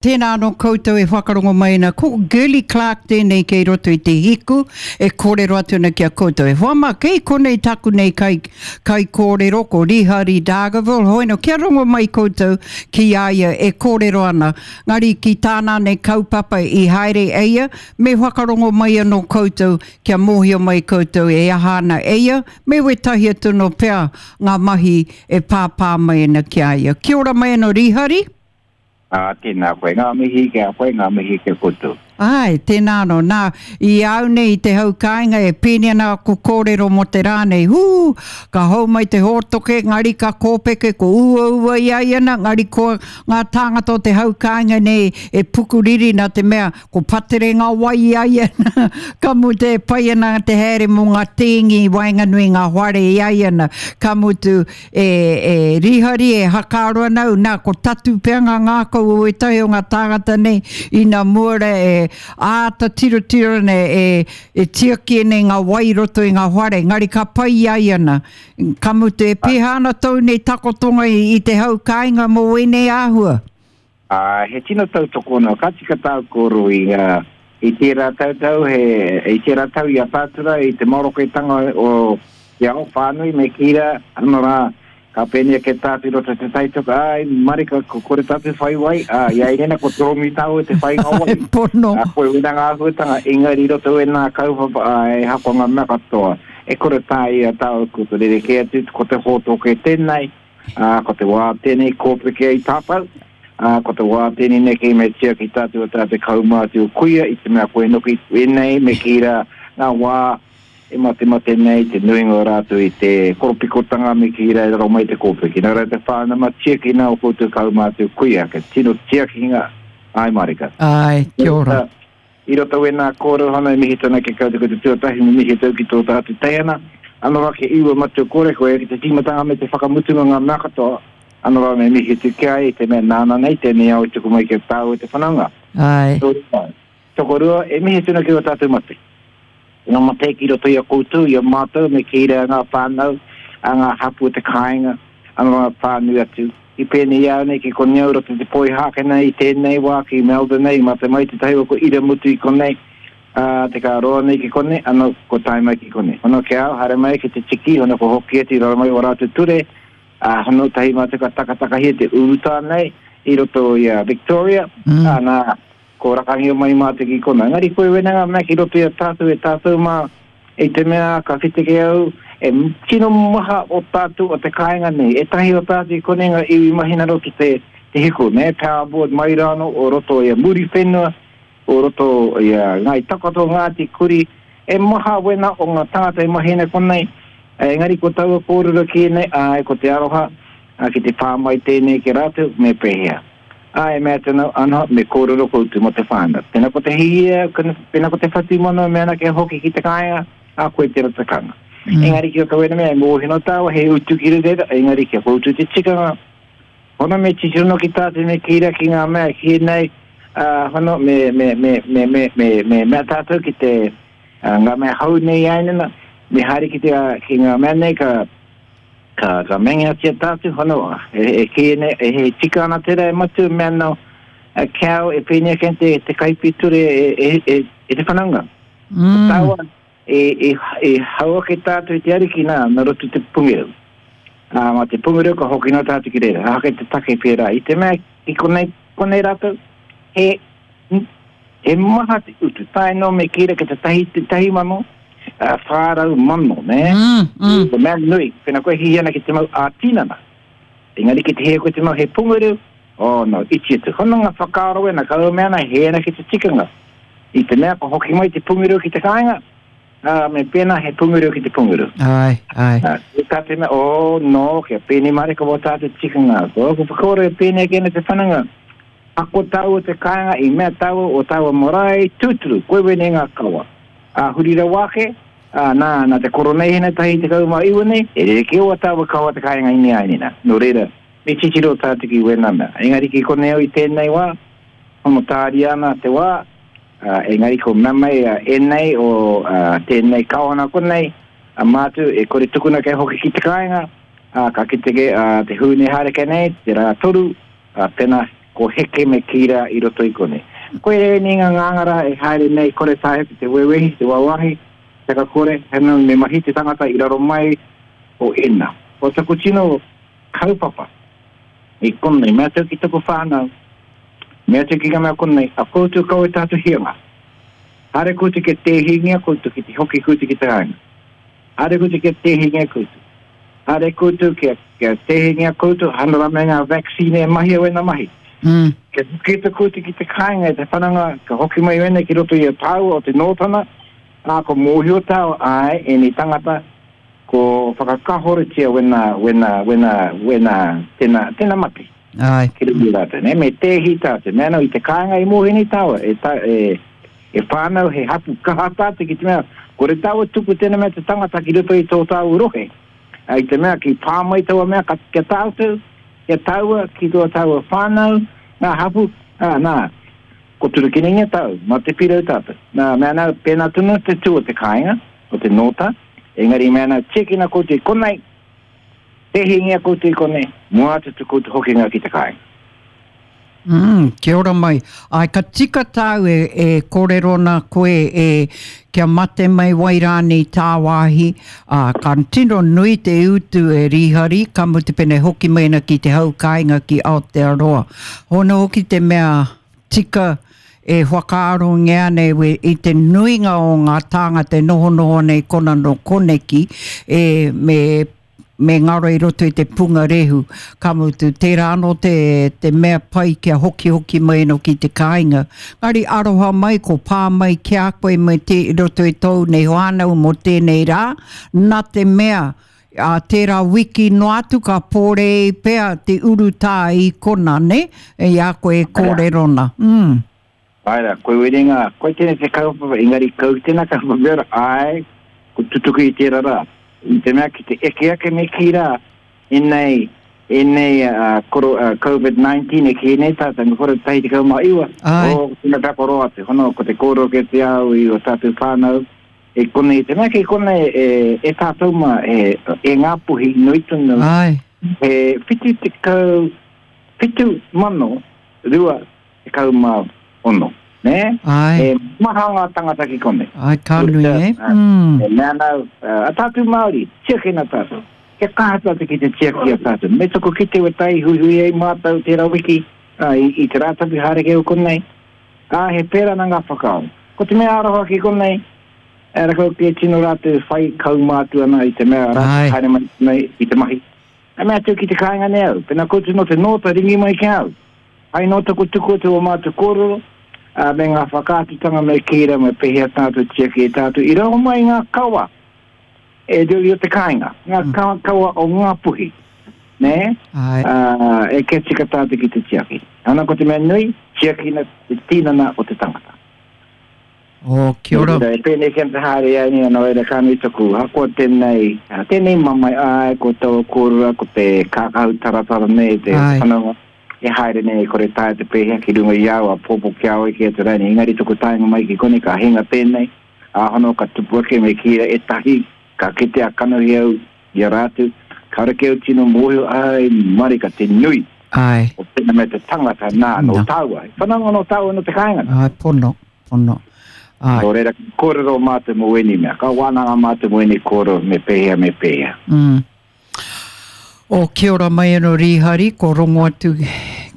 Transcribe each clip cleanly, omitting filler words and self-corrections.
Tēnā anō koutou e whakarongo mai ana, ko Girlie Clarke tēnei kei roto i te hiku e kōrero atu ana ki a koutou. E hoa mā, kei konei taku nei kai, kaikōrero ko Rihari Dargaville, hoino kia rongo mai koutou ki a ia e kōrero ana, ngari ki tāna nei kaupapa i haere eia, me whakarongo mai anō koutou kia mōhio mai koutou e aha ana eia, me wētahi atu anō pea ngā mahi e pāpā mai ana ki a ia. Kia ora mai anō Rihari. Ā, tēnā koe. Ngā mihi ki a koe, ngā mihi ki a koutou. Āe, tēnā anō. Nā, i a au nei i te hau kāinga e pēni ana aku kōrero mō te rā nei, hū, ka hou mai te hōtoke, ngari ka kōpeke, ko uaua i a ia nā, ngari koa ngā tāngata o te hau kāinga nei e pukuriri nā te mea ko patere ngā wai i a ia nā, ka mutu e pai ana te haere mō ngā tēngi i waenganui i ngā whare i a ia nā, ka mutu E, e rihari, e hakaaro ana au, nā, ko tatu pea ngā ngākau o ētahi o ngā tāngata nei, ina mua rā e āta tirotiro ana, e, e tiaki ana i ngā wai i roto i ngā whare, engari ka pai i a ia nā. Ka mutu, e pēhea ana tōu nei takotonga i, i te hau kāinga mō ēnei āhua? Ā, he tino tautoko anō. Ka tika tāu kōrero i, ā, i tērā tau tau, he, i tērā tau i a Pātura, i te maroketanga o te ao whānui me kī rā, ano rā, ka pēnei ake tātou i roto i te taitoka, āe, marika, ko kore tātou whai wai, ā, i a Irena ko toromi tāua te whainga wai. Pono. Ā, koe wena ngā āhuatanga, engari i roto wēnā kaupapa, ā, e hako ngā mea katoa, e kore tāia tāua ko te rerekē atu, ko te hōtoke tēnei, Ā, ko te wā tēnei kōpeke ai tātou, ā, ko te wā tēnei neke me tiaki tātou o tātou kaumātua kuia i te mea koe noki ēnei me kī rā ngā wā e matemate nei te nuinga o rātou i te koropikotanga me kī rā i raro mai te kōpeke. Nā reira te whānau ma tiakina o koutou kaumātua kuia, kia tino tiakinga, āe marika. Āe, kia ora. I roto wēnā kōrero hana e mihi tana ki a koutou ko te tuatahi me mihi atu ki tō tātou teihana, ano rā kia iwa matua kore koe ki te tīmatanga me te whakamutunga ngā mea katoa, ano rā me mihi atu ki a ia i te mea nāna nei tēnei ao i tuku mai ki a tāua te whanaunga. Āe. Tokorua, e mihi atu ana ki ō tātou mate. Ngā mate ki roto i a koutou, i a mātou, me kī rā ngā whānau, a ngā hapū o te kāinga, a ngā whānui atu. I pēnei i a au nei ki konei au roto i te Poihākena i tēnei wā ki Melbourne nei, i mate mai tētahi o ko iramutu i konei, ā, te ka roa nei ki konei, ano, ko tae mai ki konei. Hono ki a au, haere mai ki te tiki, hono ko hoki atu i raro mai o rātou ture, ā, hono tahi mātou ka takatakahia te urutā nei i roto i a Victoria, ā, nā, ko rakangio mai mātou ki kona. Engari koe wena ngā mea ki roto i a tātou e tātou mā, I te mea ka whiteke au, e tino maha o tātou o te kāinga nei, ētahi o tātou i konei ngā iwi mahi nā roto te, te hiku, nē, powerboard mai rānō o roto i a Muriwhenua, o roto i a Ngāi Takoto, Ngāti Kuri, e maha wena o ngā tāngata e mahi ana konei, engari ko taua kōrero ki ēnei, āe, ko te aroha, ki te pā mai tēnei ki a rātou, me pēhea? Ā, e mea atu ana, Anō, me kōrero koutou mō te whānau. Pēnā ko te hīia, pēnā ko te whatumanawa me ana kia hoki ki te kāinga, ā, koe tērā takanga. Mm. Engari ki roto wena mea, e mōhio nō tāua, he utu ki reira, engari kia koutou te tikanga, hono me titiro no ki tātou me kīra ki ngā mea ki nei, ā, hono me, me, me, me, me, me, me mea tātou ki te, uh, ngā mea hou nei ainana, me haere ki te, ki ngā mea nei ka, Ka, ka mengeatia tātou, hono, e, e kī nei, e, e tika ana tērā e matua mea no, a cow e pēnei ake te, te kaipiture e, e, e, e te whanaunga. Mm. Ko tāua, e, e, e hau ake tātou i te ariki nā, nā roto te pungerau. Ā, mā te pungerau ka hoki nā tātou ki reira. Hake te take pērā. I te mea, i konei, konei rātou, he, He maha te utu, tae noa me kī ra ki te tahi, te 1,400,000, nē? Mm, mm. Te mea nui, pena koe hihi ana ki te mau ā-tinana, engari ki te hia koe te mau he pungaru, oh no, iti atu. Hono ngā whakaaro wena, ka mea ana, he ana ki te tikanga. I te mea ka hoki mai te pungaru ki te kāinga, ā, me pēnā he pungaru ki te pungaru. Āe, āe. Ā, tā te mea, oh no, kia pēnei mārika wā tātou tikanga. Ko aku whakaaro e pēnei ake ana te whananga, Ako tāua te kāinga i mea tāua o tāua marae tūturu, koe wēnei ngā kawa. Ā, huri rawa ake, ā, nā, nā te koroneihana 19 nei, e rerekē o a tāua kawa te kāinga i neainena. Nō reira, me titiro tātou ki wēnā mea. Engari ki konei au i tēnei wā, hono tāria ana te wā, ā, engari ko mea mai a ēnei o, ā, tēnei kawana konei, a mātou e kore tukuna kia hoki ki te kāinga, ā, ka kite ke, ā, te Hūne haere ke nei, te rā toru, Ā, pēnā, ko heke me kī rā i roto i konei. Koia ēnei ngā ngāngara e haere nei kore taea ki te wewehi, te wawahi, te kakore, hena me mahi te tangata i raro mai o ēnā. Ko taku tino kaupapa i konei, mea atu ki taku whānau, mea atu ki ngā mea konei, a koutou kaua tātou hianga. Haere koutou kia tēhingia koutou ki te hoki koutou ki te kāinga. Haere koutou kia tēhingia koutou. Haere koutou kia, kia tēhingia koutou, hana rā me ngā vaccine e mahia wena mahi. Kia hoki atu koutou ki te kāinga e te whananga, ka hoki mai wena ki roto i a tāua o te Nōtana, ā, ko mōhio tāua, āe, ēnei tangata, ko whakakahoretia wena, wena, wena, wena, tena, tena mate. Āe. Ki roto i rātou, nē, me tēhi tātou. Mea anō, i te kāinga i mōhio nei tāua, e ta, e, e whānau he hapu kaha tātou ki te mea, kore tāua tuku tēnā mea te tangata ki roto i tō tāua rohe. Ā, i te mea ki pā mai taua mea ka, kia tātou, kia tāua ki tō tāua whānau, ngā hapu, ā, nā, ko turukinengia tāu, mā te pirau tātou. Nā, mea anō, pēnā tonu te tū o te kāinga, o te nōta, engari mea anō, tiakina koutou i konei, Pēhingia koutou i konei, mua atu to koutou hokinga ki te kāinga. Mm, kia ora mai. Ai, ka tika tāu e, e kōrero ana koe e, kia mate mai wai rānei tāwāhi, ā, ka tino nui te utu e Rīhari, ka mutu pene hoki mai ana ki te hau kāinga ki Aotearoa. Hona hoki te mea tika e whakaarongia ana e i te nuinga o ngā tāngata e nohonoho ana i kona nō koneki, e, me me ngaro i roto i te punga rehu. Ka mutu, tērā anō te, te mea pai kia hokihoki mai anō ki te kāinga. Ngari aroha mai, ko pā mai ki a koe me te, i roto i tōu nei whānau mō tēnei rā, nā te mea, ā tērā wiki noa atu ka pōrei pea te urutā i kona, nē, i a koe e kōrero na. Mm. Āe rā, koe werenga, koe tēnei te kaupapa, engari kau tēnā kaupapa mea rā, āe, ko tutuki i tērā rā. I te mea ki te eke ake me kī rā, ēnei, ēnei koro, Covid 19 e kī nei tātou, me kore 19, oh, tēnā pea ko roa atu, hono, ko te kōrero kei te ao i o tātou whānau, e konei, te mea kei konei e, e tātou mā, e, e Ngāpuhi nui tonu, he 70, 7,002 16, nē? Āe. He maha ngā tangata ki konei. Āe, ka nui, e? Mm. E mea ana au, a tātou Māori, tiakina tātou. Kia kaha tātou ki te tiaki i a tātou. Me tuku kite we tai huihui ai mātou tērā wiki, ā, i, i te Rātapu haere kei o konei. Ā, he pērā nā ngā whakaaro. Ko te mea aroha ki konei, e rakau kē tino rātou whai kaumātua ana i te mea rātou haere mai nei i te mahi. E mea atu ki te kāinga nei au, pena koutou nō te nōta ringi mai ki a au. Hai nō taku tuku atu o mātou kōrero, ā, me ngā whakaatutanga me kī rā me pēhea tātou tiaki e tātou i raro mai ngā kawa e ruri o te kāinga, ngā kawa o Ngāpuhi, nē? Ā, e kia tika tātou ki te tiaki. Ana ko te mea nui, tiakina te tinana o te tangata. Oh, kia ora. Nō reira, e pēnei ki ana te haere ai nei, nō reira ka nui taku ahakoa tēnei, tēnei mamae, āe, ko taua kōrua, ko te kākahu taratara nei, te whanaunga, e haere nei, e kore taea te pēhea ki runga i au, a pōpō ki a oe ki atu rānei, engari taku taenga mai ki konei, ka hinga tēnei, ā, hono ka tupu ake me kī ētahi, ka kite a kanohi au i a rātou, kāore kē au tino mōhio, āe, marika te nui. Āe. O tēnā mea te tangata, nā, nō tāua, he whanaunga nō tāua nō te kāinga. Āe, pono. Pono. Āe. Nō reira, kōrero mātou mō ēnei mea. Ka wānanga mātou mō ēnei kōrero, me pēhea, me pēhea. Mm. O, kia ora mai anō Rīhari, ko rongo atu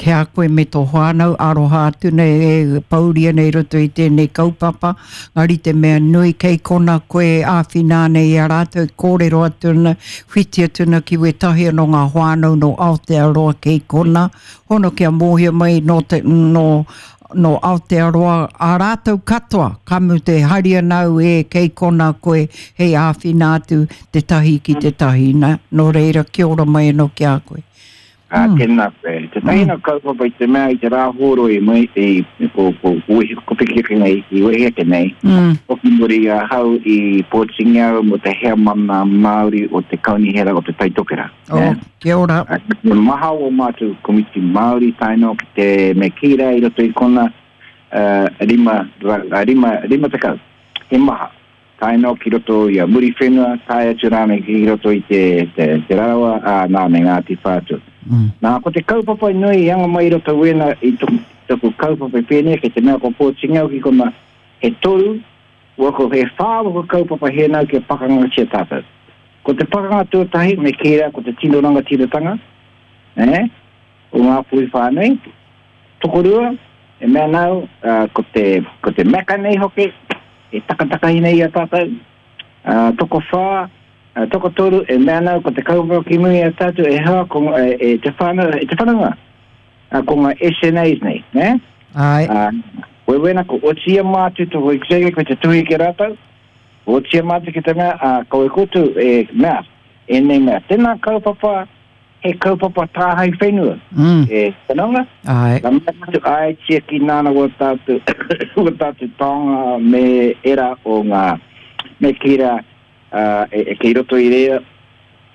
ki a koe me tō whānau, aroha atu nei e pauria nei roto i tēnei kaupapa, ngari te mea nui kei kona koe e āwhina ana i a rātou, kōrero atu ana, whiti atu ana ki wētahi anō ngā whānau nō Aotearoa kei kona, hono kia mōhio mai nō te, nō nō Aotearoa ā rātou katoa, ka mutu e hari ana au e kei konā koe hei āwhina atu tētahi ki tētahi, nā, nō reira kia ora mai anō ki a koe. Ā, tēnā koe. Tētahi nā kaupapa i te mea i te rā hōroi mai i, ko, ko, ko wehi, ko piki ake nei, i wehi ake nei, hoki muri i ahau i pōtingia au mō te heamana Māori o te Kaunihera o Te Tai Tokerau. Oh, kia ora. He maha o mātou komiti Māori tae noa ki te me kī rā i roto i kona 50. He maha. Tae noa ki roto i a Muriwhenua, tae atu rānei ki roto i te, te, te Rarawa, ā, nā, me Ngāti Whātua. Nā, ko te kaupapa nui i anga mai i roto wēnā i taku kaupapa i pēnei, kei te mea ko pōtingia au ki kona, he toru, wako, he whā wako kaupapa hēnau kia pakangatia tātou. Ko te pakanga tuatahi, me kī rā, ko te tino rangatiratanga, eh, o Ngāpuhi whānui. Tokorua, e mea ana au, ko te, ko te Mecca nei hoki, e takatakahi nei i a tātou. Tokowhā, tokotoru, e mea ana au, ko te kaupapa ki muri i a tātou, e hoa, ko, e, e te whānau, e te whanaunga, ko ngā SNAs nei, nē? Āe. Wewena, ko otiia mātou tō executive ko te tuhi ki a rātou, otiia mātou ki te mea, ā, kawe koutou e mea, ēnei mea. Tēnā kaupapa, he kaupapa tāhae whenua. Mm. E whanaunga. Āe. Ka mea atu, āe tiaki nāna wā tātou, wā tātou taonga me era o ngā, me kī rā, ā, e, e kei roto i reira,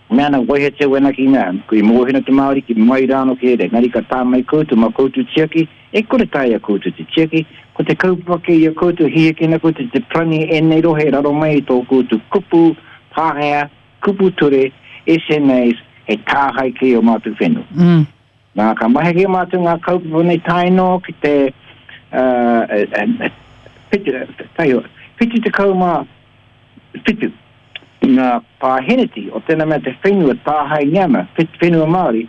mea ana waihetia wena ki ngā, i mōhio te Māori ki mai rāno ki reira, engari ka tā mai koutou, mā koutou tiaki, e kore taea koutou te tiaki, ko te kaupapa kei a koutou, hihikina koutou te parani ēnei rohe raro mai i tō koutou kupu Pākehā, Kupu ture, SNAs, he tāhae kei o mātou whenua. Mm. Nā, ka mahi ki a mātou ngā kaupapa nei tae noa ki te uh, 77 ngā pāheneti o tēnā mea te whenua tāhaengia ana, whenua Māori,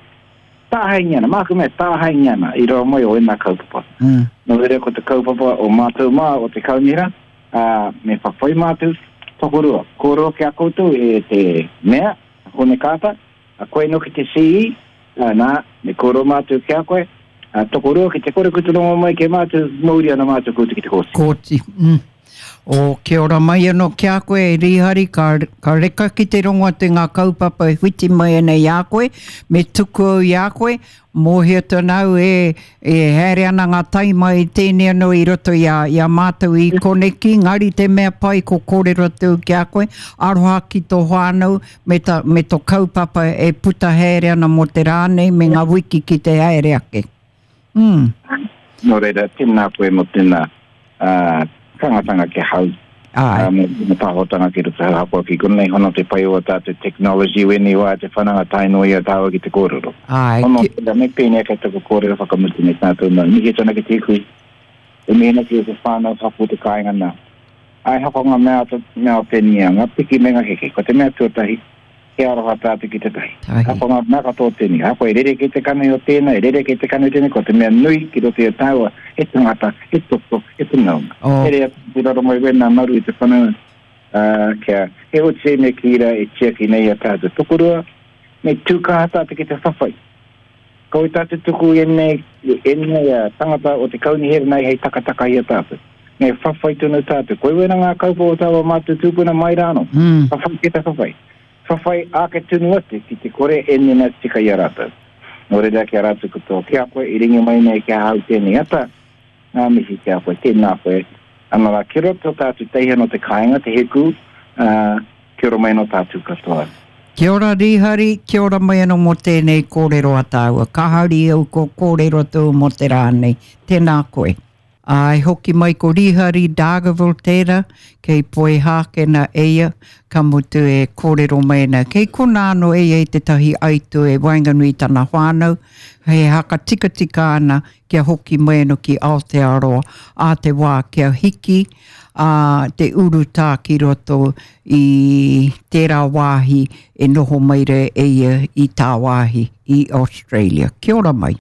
tāhaengia ana, māku mea tāhaengia ana i raro mai o ēnā kaupapa. Mm. Nō reira ko te kaupapa o mātou mā o te kaunihera, ā, me whawhai mātou, tokorua, kōrero ki a koutou e te mea, a Hone Kāta, a koe noki te CE, ā, nā, me kōrero mātou ki a koe, ā, tokorua ki te kore kutu rongo mai ki a mātou, mouri ana mātou koutou ki te kōti. Kōti, mm. O, kia ora mai anō ki a koe, e Rīhari, ka, ka reka ki te rongo atu i ngā kaupapa e whiti mai ana i a koe, me tuku au i a koe, Mōhio tonu au e, e haere ana ngā taima i tēnei anō i roto i a, i a mātou i koneki, ngari te mea pai ko kōrero atu au ki a koe, aroha ki tō whānau me, ta, me tō kaupapa e puta haere ana mō te rā nei me ngā wiki ki te haere ake. Mm. Nō reira, tēnā koe mō tēnā uh, tangatanga ki hau. Āe. Me te pāhotanga ki roto hau hakoa ki konei hono te pai o a tātou technology wēnei wā te whananga tae noa i a tāua ki te kōrero. Āe. Hono tērā me pēnei kei taku kōrero whakamutu nei tātou mau. Mihi atu ana ki te hui. E mihi ana ki te whānau hapū te kāinga nā. Āe hako ngā mea, mea o tēnei ngā piki me ngā heke. Ko te mea tuatahi, he aroha tātou ki te tahi. Ahakoa ngā mea katoa o tēnei, ahakoa e rerekē te kanohi o tēnā, e rerekē te kanohi o tēnei, ko te mea nui ki roto i a tāua, he tangata, he toto, he whanaunga. Oh. Here atu ki raro mai wēnā maru i te whanaunga, ā, kia, he oti me kī rā e tiaki nei i a tātou. Tokorua, me tū kaha tātou ki te whawhai. Kaua tātou tuku i ēnei, ēnei tangata o te kaunihera nei hei takataka i a tātou. Me whawhai tonu tātou. Koe wena ngā kaupapa o tāua mātou tūpuna mai rānō. Mm. Whawhai ki te whawhai. Whawhai ake tonu atu ki te kore ēnei mea tika i a rātou. Nō reira ki a rātou katoa, ki a koe i ringa mai nei ki ahau tēnei ata, Ngā mihi ki a koe, tēnā koe. Ana rā, kia ora tō tātou teihana o te kāinga, te Hēkū, ā, kia ora mai anō tātou katoa. Kia ora Rīhari, kia ora mai anō mō tēnei kōrero a tāua. Ka hari au kua kōrero atu mō te rā nei. Tēnā koe. Āe, hoki mai ko Rīhari Dargaville tērā, kei Poihākena e ia, ka mutu e kōrero mai ana. Kei konā anō e ia i tētahi aituā e waenganui i tana whānau, he haka tikatika ana kia hoki mai anō ki Aotearoa ā te wā kia hiki ā te urutā ki roto i tērā wāhi e noho mai rā e ia i tāwāhi i Australia. Kia ora mai.